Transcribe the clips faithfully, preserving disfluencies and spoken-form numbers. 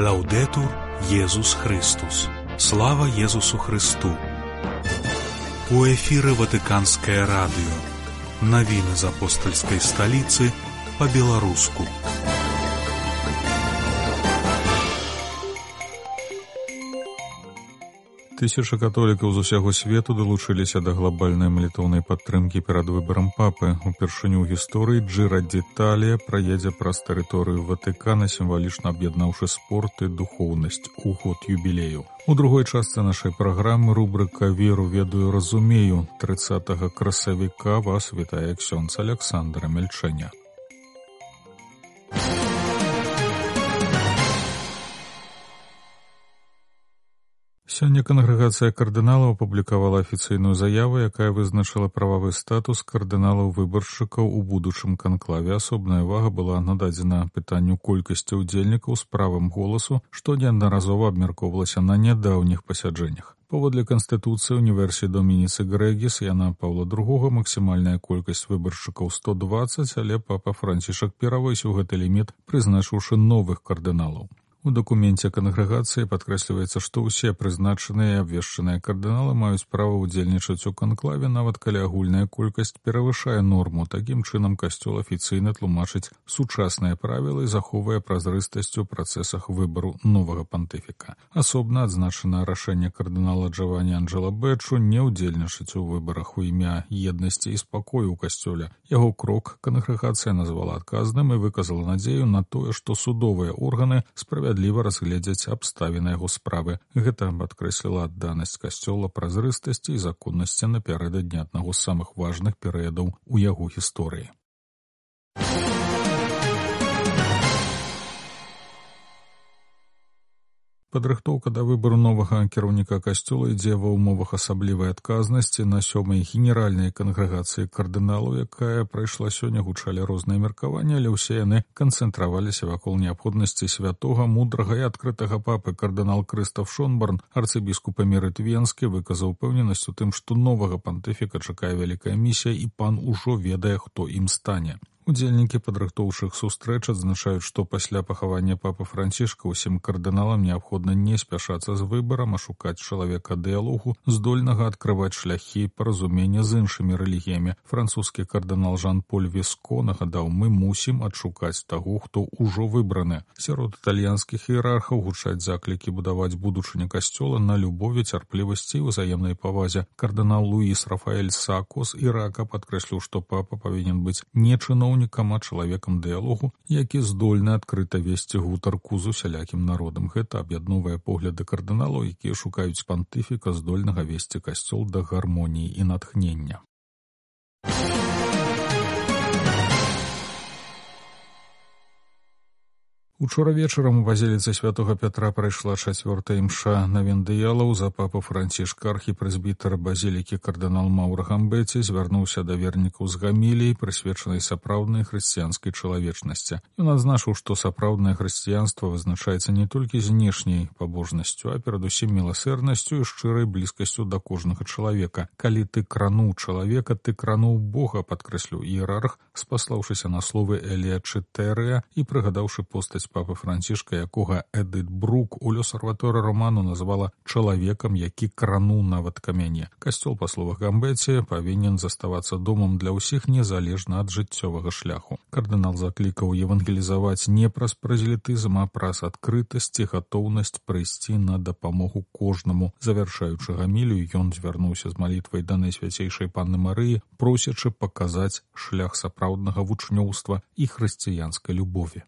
Лаўдэтур Езус Христус. Слава Езусу Христу. У эфіры Ватыканскае радыё. Навіны з апостальскай сталіцы па-беларуску. Тысячы католікаў з усяго свету далучыліся да глобальнай малітоўнай падтрымкі перад выбарам папы. Упершыню ў гісторыі Джира д'Італія праедзе праз тэрыторыю Ватыкана, сімвалічна аб'яднаўшы спорт і духоўнасць у год юбілею. У другой частцы нашай праграмы рубрыка «Веру, ведаю, разумею». трыццатага красавіка вас вітае ксёндз Александр Мельчэня. Сёння кангрэгацыя кардыналаў апублікавала афіцыйную заяву, якая вызначыла прававы статус кардыналаў-выбаршчыкаў у будучым канклаве. Асобная ўвага была нададзена пытанню колькасці ўдзельнікаў з правам голасу, што неаднаразова абмяркоўвалася на нядаўніх пасяджэннях. Паводле Канстытуцыі універсіі Домініцы Грэгіс Яна Паўла другога максімальная колькасць выбаршчыкаў сто дваццаць, але папа Францішак перавысіў гэты ліміт, прызначыўшы новых кардыналаў. У дакуменце кангрэгацыі падкрэсліваецца, што ўсе прызначаныя і абвешчаныя кардыналы маюць права ўдзельнічаць у канклаве, нават калі агульная колькасць перавышае норму. Такім чынам касцёл афіцыйна тлумачыць сучасныя правілы і захоўвае празрыстасць у працэсах выбару новага пантыфіка. Асобна адзначана рашэнне кардынала Джавані Анджела Бэчу не ўдзельнічаць у выбарах у імя еднасці і спакою ў касцёле. Яго крок кангрэгацыя назвала адказным і выказала надзею на тое, што судовыя органы справядліва справядліва разгледзяць абставіны яго справы. Гэта падкрэсліла адданасць касцёла празрыстасці і законнасці напярэдадні аднаго з самых важных перыядаў у яго гісторыі. Падрыхтоўка да выбару новага кіраўніка касцёла ідзе ва ўмовах асаблівай адказнасці. На сёмай генеральнай кангрэгацыі кардыналаў, якая прайшла сёння, гучалі розныя меркаванні, але ўсе яны канцэнтраваліся вакол неабходнасці святога, мудрага і адкрытага папы. Кардынал Крыстаф Шонборн, арцыбіскуп эмерыт Венскі, выказаў упэўненасць у тым, што новага пантыфіка чакае вялікая місія, і пан ужо ведае, хто ім стане. Удзельнікі падрыхтоўшых сустрэч адзначаюць, што пасля пахавання папы Францішка ўсім кардыналам неабходна не спяшацца з выбарам, а шукаць чалавека дыялогу, здольнага адкрываць шляхі паразумення з іншымі рэлігіямі. Французскі кардынал Жан-Поль Веско нагадаў: «Мы мусім адшукаць таго, хто ўжо выбраны». Сярод італьянскіх іерархаў гучаць заклікі будаваць будучыню касцёла на любові, цярплівасці і ўзаемнай павазе. Кардынал Луіс Рафаэль Сако з Ірака падкрэсліў, што папа павінен быць не чыноўнікам, а чалавекам дыялогу, які здольны адкрыта весці гутарку з усялякім народам. Гэта аб'ядноўвае погляды кардыналаў, якія шукаюць пантыфіка, здольнага весці касцёл да гармоніі і натхнення. Учора вечарам у базіліцы святога Пятра прайшла чацвёртая імша навен-дыялаў. За папу Францішка архіпрэзбітар базілікі кардынал Маўра Гамбэці звярнуўся да вернікаў з гаміліяй, прысвечанай сапраўднай хрысціянскай чалавечнасці. Ён адзначыў, што сапраўднае хрысціянства вызначаецца не толькі знешняй пабожнасцю, а перадусім міласэрнасцю і шчырай блізкасцю да кожнага чалавека. «Калі ты крануў чалавека, ты крануў Бога», падкрэсліў іерарх, спаслаўшыся на словы Элія Чытэрыя і прыгадаўшы постаць папы Францішка, якога Эдыт Брук у «Лёсарваторы Роману» назвала чалавекам, які крануў нават камяне. Касцёл, па словах Гамбэці, павінен заставацца домам для ўсіх незалежна ад жыццёвага шляху. Кардынал заклікаў евангелізаваць не праз празелітызм, а праз адкрытасць і гатоўнасць прыйсці на дапамогу кожнаму. Завяршаючы гамілію, ён звярнуўся з малітвай да Найсвяцейшай Панны Марыі, просячы паказаць шлях сапраўднага вучнёўства і хрысціянскай любові.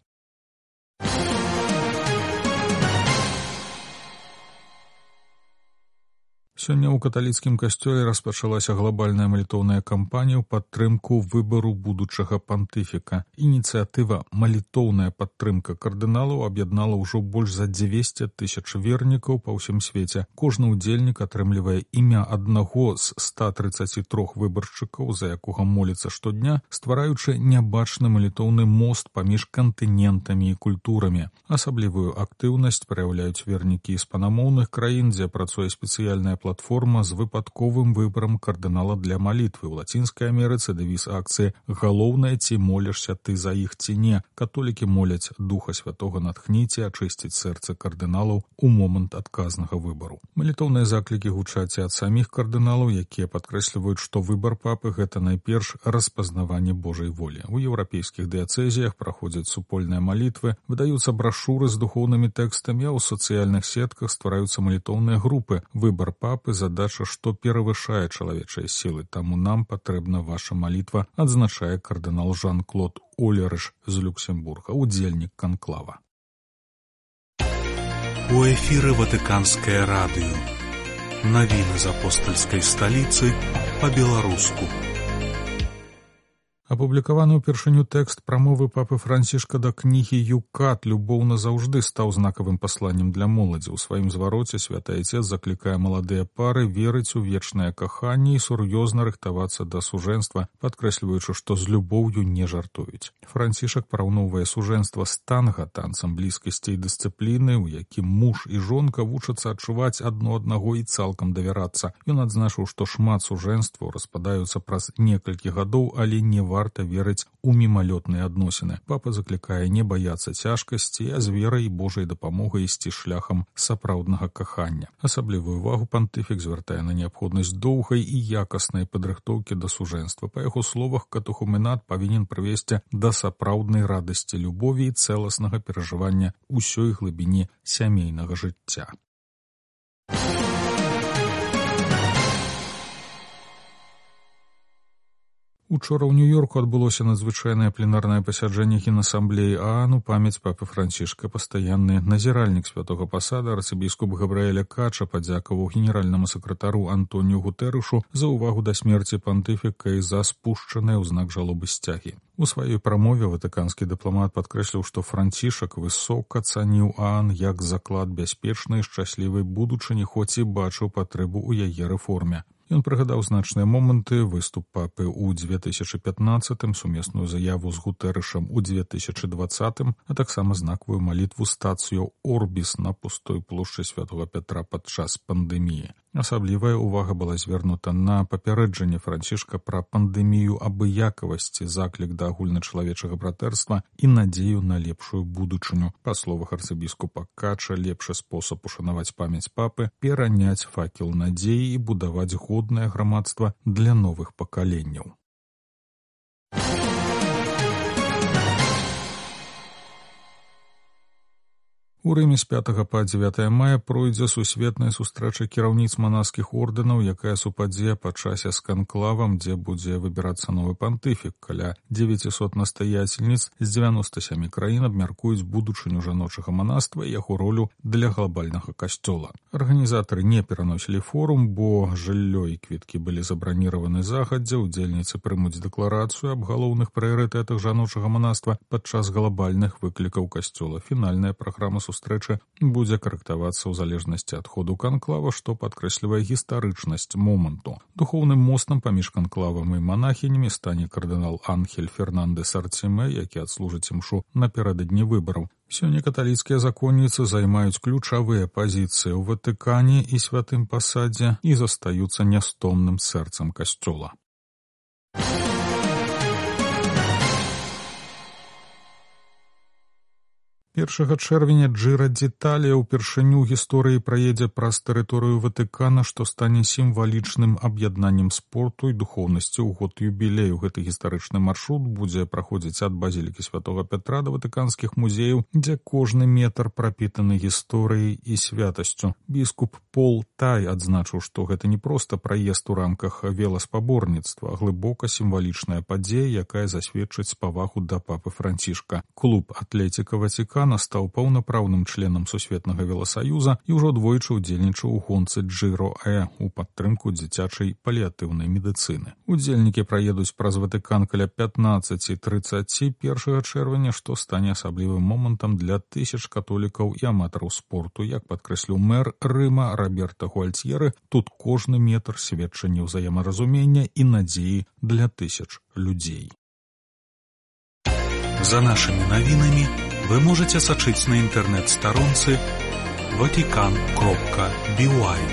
Сёння ў каталіцкім касцёле распачалася глобальная малітоўная кампанія ў падтрымку выбару будучага пантыфіка. Ініцыятыва «Малітоўная падтрымка кардыналаў» аб'яднала ўжо больш за дзвесце тысяч вернікаў па ўсім свеце. Кожны ўдзельнік атрымлівае імя аднаго з ста трыццаці трох выбаршчыкаў, за якога моліцца штодня, ствараючы нябачны малітоўны мост паміж кантынентамі і культурамі. Асаблівую актыўнасць праяўляюць вернікі іспанамоўных краін, дзе працуе спецыяльная платформа платформа з выпадковым выбарам кардынала для малітвы. У Лацінскай Амерыцы дэвіз акцыі «Галоўнае, ці молішся ты за іх ці не». Католікі моляць Духа Святога натхніць і ачысціць сэрца кардыналаў у момант адказнага выбару. Малітоўныя заклікі гучаць ад саміх кардыналаў, якія падкрэсліваюць, што выбар папы – гэта найперш распазнаванне Божай волі. У еўрапейскіх дыяцэзіях праходзяць супольныя малітвы, выдаюцца брашуры з духоўнымі тэкстамі, а ў сацыяльных сетках ствараюцца малітоўныя групы. Выбар папы – задача, што перавышае чалавечыя сілы, таму нам патрэбна ваша малітва, адзначае кардынал Жан-Клод Олерыш з Люксембурга, удзельнік канклава. У эфіры Ватыканскае радыё. Навіны з апостальскай сталіцы па-беларуску. Апублікаваны ўпершыню тэкст прамовы папы Францішка да кнігі «Юкат. Любоў назаўжды» стаў знакавым пасланнем для моладзі. У сваім звароце святы айцец заклікае маладыя пары верыць у вечнае каханне і сур'ёзна рыхтавацца да сужэнства, падкрэсліваючы, што з любоўю не жартуюць. Францішак параўноўвае сужэнства з танга, танцам блізкасці і дысцыпліны, у якім муж і жонка вучацца адчуваць адно аднаго і цалкам давярацца. Ён адзначыў, што шмат сужэнстваў распадаюцца праз некалькі гадоў, але не варта верыць у мімалётныя адносіны. Папа заклікае не баяцца цяжкасці, а з верай і Божай дапамогай ісці шляхам сапраўднага кахання. Асаблівую увагу пантыфік звяртае на неабходнасць доўгай і якаснай падрыхтоўкі да сужэнства. Па яго словах, катехуменат павінен прывесці да сапраўднай радасці любові і цэласнага перажывання ўсёй глыбіні сямейнага жыцця. Учора ў Нью-Йорку адбылося надзвычайнае пленарнае пасяджэнне Генасамблеі ААН у памяць папы Францішка. Пастаянны назіральнік святога пасада арцыбіскуп Габрыэля Кача падзякаваў генеральнаму сакратару Антоніу Гутэрышу за ўвагу да смерці пантыфіка і за спушчаныя ў знак жалобы сцягі. У сваёй прамове ватыканскі дыпламат падкрэсліў, што Францішак высока цаніў ААН як заклад бяспечнай і шчаслівай будучыні, хоць і бачыў патрэбу ў яе рэформе. Ён прыгадаў значныя моманты, выступ папы ў дзве тысячы пятнаццатым, сумесную заяву з Гутэрышам у дзве тысячы дваццатым, а таксама знакавую малітву стацыю Орбіс на пустой плошчы святога Пятра падчас пандэміі. Асаблівая ўвага была звернута на папярэджанне Францішка пра пандэмію абыякавасці, заклік да агульначалавечага братэрства і надзею на лепшую будучыню. Па словах арцыбіскупа Кача, лепшы спосаб ушанаваць памяць папы – пераняць факел надзеі і будаваць годнае грамадства для новых пакаленняў. У Рыме з пятага па дзевятае мая пройдзе сусветная сустрэча кіраўніц манаскіх ордэнаў, якая супадзе па часе з канклавам, дзе будзе выбірацца новы пантыфік. Каля дзевяцісот настаяцельніц з дзевяноста сямі краін абмяркуюць будучыню жаночага манаства і яго ролю для глобальнага касцёла. Арганізатары не пераносілі форум, бо жыллё і квіткі былі забраніраваны загадзя. Удзельніцы прымуць дэкларацыю аб галоўных прыярытэтах жаночага манаства падчас глобальных выклікаў касцёла. Фінальная праграма сустрэчы будзе карэктавацца ў залежнасці ад ходу канклава, што падкрэслівае гістарычнасць моманту. Духоўным мостам паміж канклавам і манахінямі стане кардынал Анхель Фернандес Артиме, які адслужыць імшу напярэдадні выбараў. Сёння каталіцкія законніцы займаюць ключавыя пазіцыі ў Ватыкане і святым пасадзе і застаюцца нястомным сэрцам касцёла. першага чэрвеня Джыра d'Italia ўпершыню ў гісторыі праедзе праз тэрыторыю Ватыкана, што стане сімвалічным аб'яднаннем спорту і духоўнасці ў год юбілею. Гэты гістарычны маршрут будзе праходзіць ад базілікі святога Пятра да ватыканскіх музеяў, дзе кожны метр прапітаны гісторыяй і святасцю. Біскуп Пол Тай адзначыў, што гэта не проста праезд у рамках веласпаборніцтва, а глыбока сімвалічная падзея, якая засведчыць павагу да папы Францішка. Клуб «Атлетика Ватикана» стаў паўнапраўным членам Сусветнага веласаюза і ўжо двойчы ўдзельнічаў у гонцы Джиро-Э у падтрымку дзіцячай паліатыўнай медыцыны. Удзельнікі праедуць праз Ватыкан каля пятнаццаць трыццаць першага чэрвеня, што стане асаблівым момантам для тысяч католікаў і аматараў спорту. Як падкрэсліў мэр Рыма Роберто Гуальцьеры, тут кожны метр сведчанне ўзаемаразумення і надзеі для тысяч людзей. За нашымі навінамі вы можете сачыць на інтэрнэт-старонцы ватикан кропка би уай.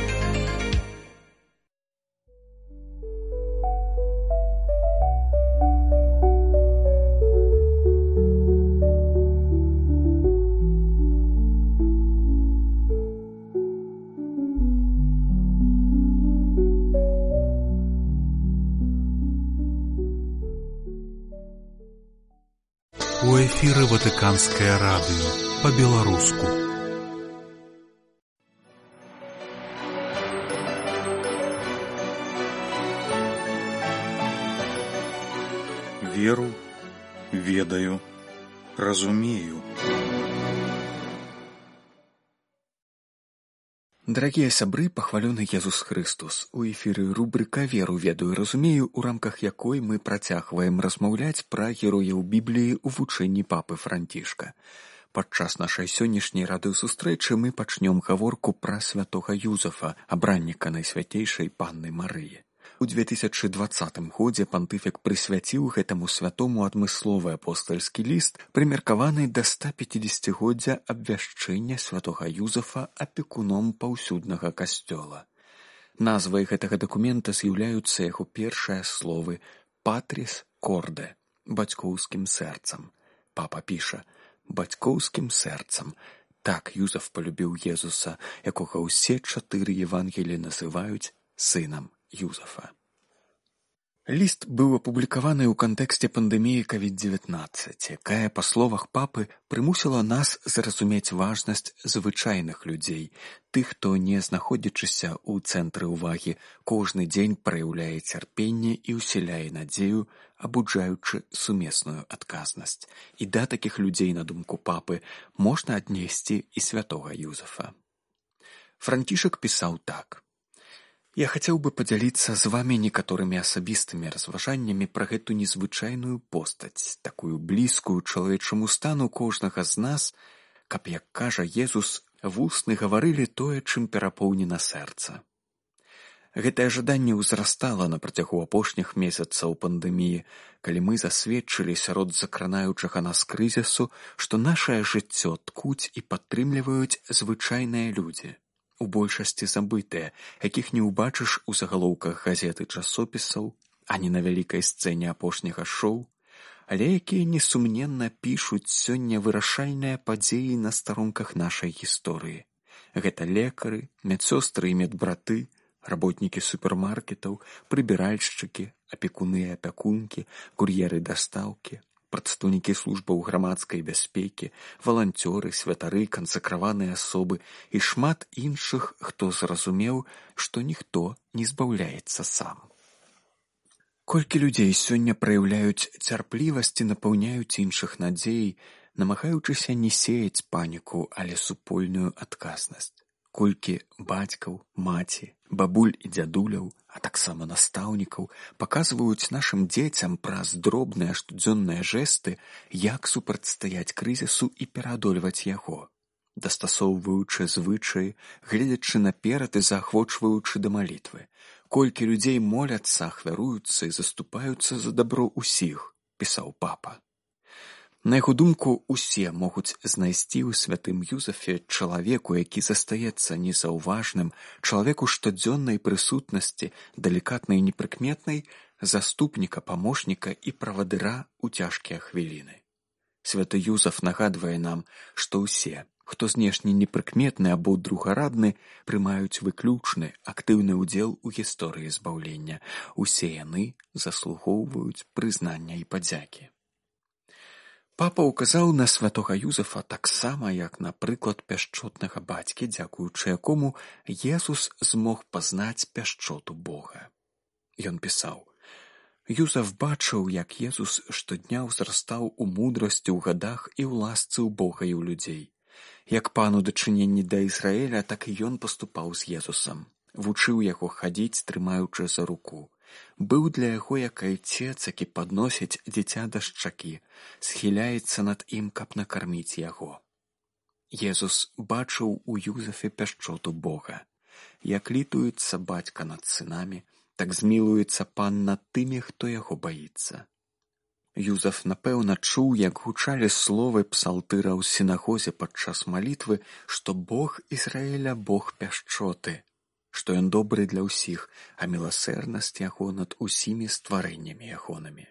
У эфіры Ватыканскае радыё па-беларуску. Веру, ведаю, разумею. Дорогие сябры, пахвалёны Езус Христос. У эфіры рубрика «Веру, ведаю, разумею», у рамках якой мы працягваем размаўляць пра герояў Бібліі ў вучэнні папы Францішка. Падчас нашай сённяшняй радыёсустрэчы мы пачнём гаворку пра святога Юзафа, абранніка Найсвяцейшай Панны Марыі. У две тысячы двадцатым годзе пантыфік прысвяціў гэтаму святому адмысловы апостальскі ліст, прымеркаваны да ста пяцідзесяцігоддзя абвяшчэння святога Юзафа апекуном паўсюднага касцёла. Назвай гэтага дакумента з'яўляюцца яго першыя словы «Патріс корде» – бацькоўскім сэрцам. Папа піша «бацькоўскім сэрцам». Так Юзаф полюбіў Езуса, якога ўсе чатыры Евангелі называюць сынам Юзафа. Ліст быў апублікаваны ў кантэксце пандэміі ковід дзевятнаццаць, якая, па словах папы, прымусіла нас зразумець важнасць звычайных людзей, тых, хто, не знаходзячыся ў цэнтры ўвагі, кожны дзень праяўляе цярпенне і ўсяляе надзею, абуджаючы сумесную адказнасць. І да такіх людзей, на думку папы, можна аднесці і святога Юзафа. Францішак пісаў так. Я хацеў бы падзяліцца з вамі некаторымі асабістымі разважаннямі пра гэту незвычайную постаць, такую блізкую чалавечаму стану кожнага з нас, каб, як кажа Езус, вусны гаварылі тое, чым перапоўнена сэрца. Гэтае жаданне ўзрастала на працягу апошніх месяцаў пандэміі, калі мы засведчылі сярод закранаючага нас крызісу, што нашае жыццё ткуць і падтрымліваюць звычайныя людзі. У большасці забытыя, якіх не ўбачыш у загалоўках газет і часопісаў, ані на вялікай сцэне апошняга шоу, але якія несумненна пішуць сёння вырашальныя падзеі на старонках нашай гісторыі. Гэта лекары, медсёстры і медбраты, работнікі супермаркетаў, прыбіральшчыкі, апекуны і апякункі, кур'еры дастаўкі, прадстаўнікі службаў грамадскай бяспекі, валанцёры, святары, кансакраваныя асобы і шмат іншых, хто зразумеў, што ніхто не збаўляецца сам. Колькі людзей сёння праяўляюць цярплівасць і напаўняюць іншых надзей, намагаючыся не сеяць паніку, але супольную адказнасць. Колькі бацькаў, маці, бабуль і дзядуляў, а таксама настаўнікаў паказваюць нашым дзецям праз дробныя штодзённыя жэсты, як супрацьстаяць крызісу і пераадольваць яго, дастасоўваючы звычаі, гледзячы наперад і заахвочваючы да малітвы. Колькі людзей моляцца, ахвяруюцца і заступаюцца за дабро ўсіх, пісаў папа. На яго думку, усе могуць знайсці ў святым Юзафе чалавеку, які застаецца незаўважным, чалавеку штодзённай прысутнасці, далікатнай і непрыкметнай, заступніка, памочніка і правадыра ў цяжкія хвіліны. Святы Юзаф нагадвае нам, што ўсе, хто знешне непрыкметны або другарадны, прымаюць выключны, актыўны ўдзел у гісторыі збаўлення. Усе яны заслугоўваюць прызнання і падзякі. Папа ўказаў на святога Юзафа таксама, як на прыклад пяшчотнага бацькі, дзякуючы якому Езус змог пазнаць пяшчоту Бога. Ён пісаў: Юзаф бачыў, як Езус штодня ўзрастаў у мудрасці, ў гадах і ў ласцы ў Бога і ў людзей. Як пан у дачыненні да Ізраіля, так і ён паступаў з Езусам. Вучыў яго хадзіць, трымаючы за руку. Быў для яго як айцец, які падносіць дзіця да шчакі, схіляецца над ім, каб накарміць яго. Езус бачыў у Юзафе пяшчоту Бога. Як літуецца бацька над сынамі, так змілуецца пан над тымі, хто яго баіцца. Юзаф, напэўна, чуў, як гучалі словы псалтыра ў сінагозе падчас малітвы, што Бог Ізраіля Бог пяшчоты, што ён добры для ўсіх, а міласэрнасць яго над усімі стварэннямі ягонымі.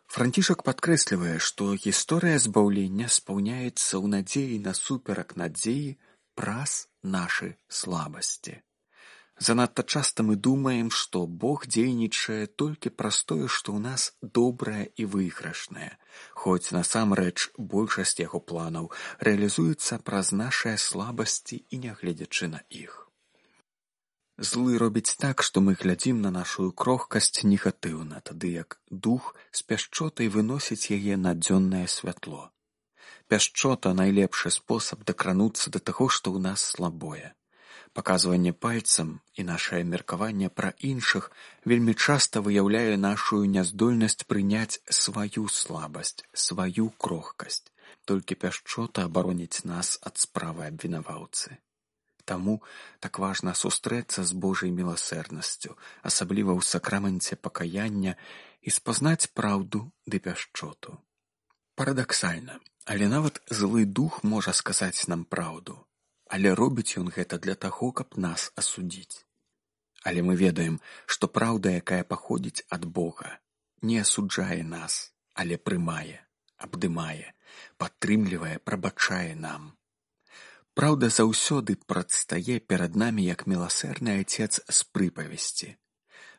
Францішак падкрэслівае, што гісторыя збаўлення спаўняецца ў надзеі насуперак надзеі праз нашы слабасці. Занадта часта мы думаем, што Бог дзейнічае толькі праз тое, што ў нас добрае і выйгрышнае, хоць насамрэч большасць яго планаў рэалізуецца праз нашыя слабасці і нягледзячы на іх. Злы робіць так, што мы глядзім на нашу крохкасць негатыўна, тады як дух з пяшчотай выносіць яе на дзённае святло. Пяшчота – найлепшы спосаб дакрануцца да таго, што ў нас слабое. Паказванне пальцам і нашае меркаванне пра іншых вельмі часта выяўляе нашу няздольнасць прыняць сваю слабасць, сваю крохкасць. Толькі пяшчота абароніць нас ад справы абвінаваўцы. Таму так важна сустрэцца з Божай міласэрнасцю, асабліва ў сакраменце пакаяння, і спазнаць праўду ды пяшчоту. Парадаксальна, але нават злы дух можа сказаць нам праўду. Але робіць ён гэта для таго, каб нас асудзіць. Але мы ведаем, што праўда, якая паходзіць ад Бога, не асуджае нас, але прымае, абдымае, падтрымлівае, прабачае нам. Праўда заўсёды прадстае перад намі як міласэрны Айцец з прыпавесці.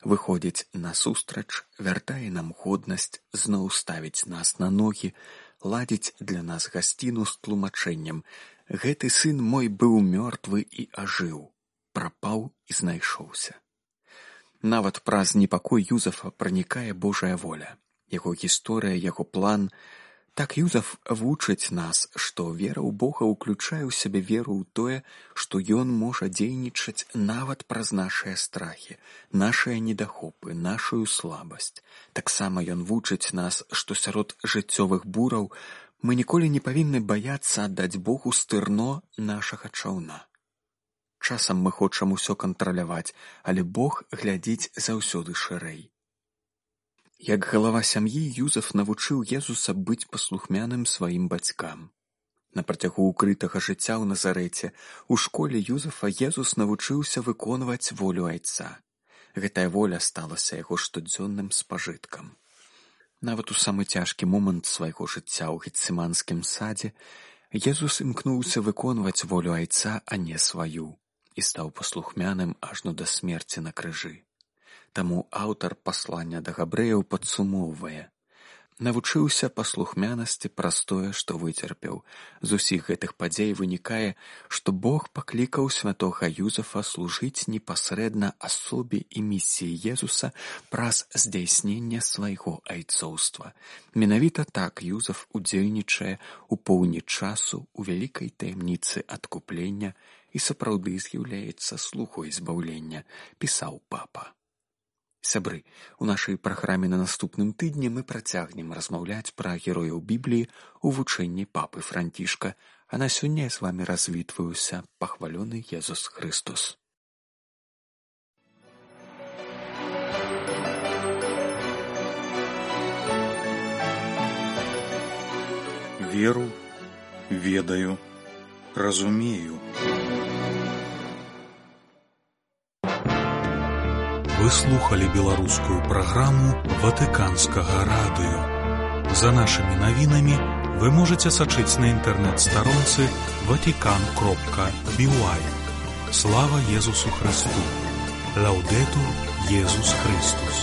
Выходзіць насустрач, вяртае нам годнасць, зноў ставіць нас на ногі, ладзіць для нас гасціну з тлумачэннем: «Гэты сын мой быў мёртвы і ажыў, прапаў і знайшоўся». Нават праз непакой Юзафа пранікае Божая воля, яго гісторыя, яго план. Так Юзаф вучыць нас, што вера ў Бога ўключае ў сябе веру ў тое, што ён можа дзейнічаць нават праз нашыя страхі, нашыя недахопы, нашую слабасць. Таксама ён вучыць нас, што сярод жыццёвых бураў мы ніколі не павінны баяцца аддаць Богу стырно нашага чаўна. Часам мы хочам усё кантраляваць, але Бог глядзіць заўсёды шырэй. Як галава сям'і, Юзаф навучыў Езуса быць паслухмяным сваім бацькам. На працягу укрытага жыцця ў Назарэце у школе Юзафа Езус навучыўся выконваць волю Айца. Гэтая воля сталася яго штодзённым спажыткам. Нават у самы цяжкі момант свайго жыцця ў Гецыманскім садзе Езус імкнуўся выконваць волю Айца, а не сваю, і стаў паслухмяным ажно да смерці на крыжы. Таму аўтар паслання да габрэяў падсумоўвае: «Навучыўся паслухмянасці праз тое, што выцерпеў. З усіх гэтых падзей вынікае, што Бог паклікаў святога Юзафа служыць непасрэдна асобе і місіі Езуса праз здзяйсненне свайго айцоўства. Менавіта так Юзаф удзельнічае ў поўні часу у вялікай таямніцы адкуплення і сапраўды з'яўляецца слугой збаўлення», пісаў папа. Сябры, у нашай праграме на наступным тыдні мы працягнем размаўляць пра герояў Бібліі ў вучэнні папы Францішка, а на сёння я з вамі развітваюся. Пахвалёны Езус Христос. Веру, ведаю, разумею. Вы слухали беларускую праграму Ватыканскага радыё. За нашымі навінамі вы можаце сачыць на інтэрнэт-старонцы ватикан кропка би уай. Слава Езусу Христу! Лаўдэтур Езус Христус!